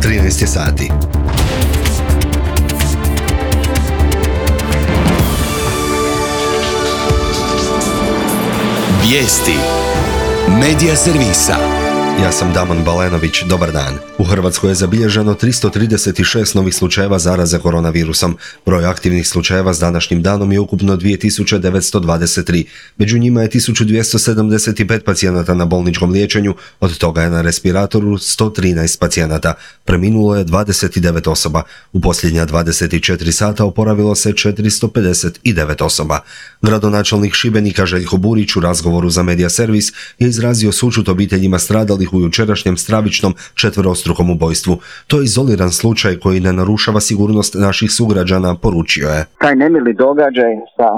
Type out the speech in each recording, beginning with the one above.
13 je sati. Vijesti Medija servisa. Ja sam Damon Balenović, dobar dan. U Hrvatskoj je zabilježeno 336 novih slučajeva zaraze koronavirusom. Broj aktivnih slučajeva s današnjim danom je ukupno 2923. Među njima je 1275 pacijenata na bolničkom liječenju, od toga je na respiratoru 113 pacijenata. Preminulo je 29 osoba. U posljednja 24 sata oporavilo se 459 osoba. Gradonačelnik Šibenika Željko Burić u razgovoru za Medija servis je izrazio sućut obiteljima stradalih u jučerašnjem stravičnom četverostrukom ubojstvu. To je izoliran slučaj koji ne narušava sigurnost naših sugrađana, poručio je. Taj nemili događaj sa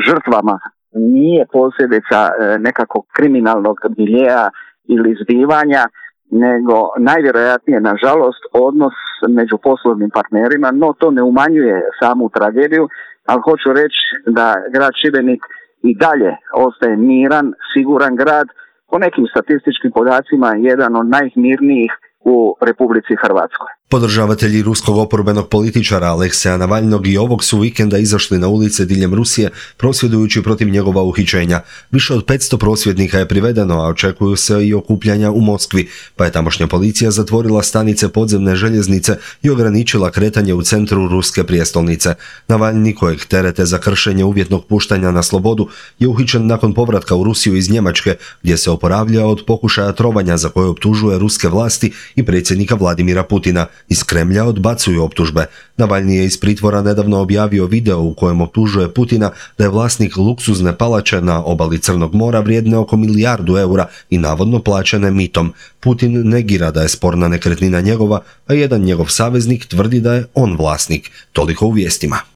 žrtvama nije posljedica nekakvog kriminalnog miljeja ili zbivanja, nego najvjerojatnije, nažalost, odnos među poslovnim partnerima, no to ne umanjuje samu tragediju, ali hoću reći da grad Šibenik i dalje ostaje miran, siguran grad, po nekim statističkim podacima jedan od najmirnijih u Republici Hrvatskoj. Podržavatelji ruskog oporbenog političara Alekseja Navalnog i ovog su vikenda izašli na ulice diljem Rusije prosvjedujući protiv njegova uhićenja. Više od 500 prosvjednika je privedeno, a očekuju se i okupljanja u Moskvi, pa je tamošnja policija zatvorila stanice podzemne željeznice i ograničila kretanje u centru ruske prijestolnice. Navalni, kojeg terete za kršenje uvjetnog puštanja na slobodu, je uhićen nakon povratka u Rusiju iz Njemačke, gdje se oporavlja od pokušaja trovanja za koje optužuje ruske vlasti i predsjednika Vladimira Putina. Iz Kremlja odbacuju optužbe. Navalni je iz pritvora nedavno objavio video u kojem optužuje Putina da je vlasnik luksuzne palače na obali Crnog mora vrijedne oko milijardu eura i navodno plaćene mitom. Putin negira da je sporna nekretnina njegova, a jedan njegov saveznik tvrdi da je on vlasnik. Toliko u vijestima.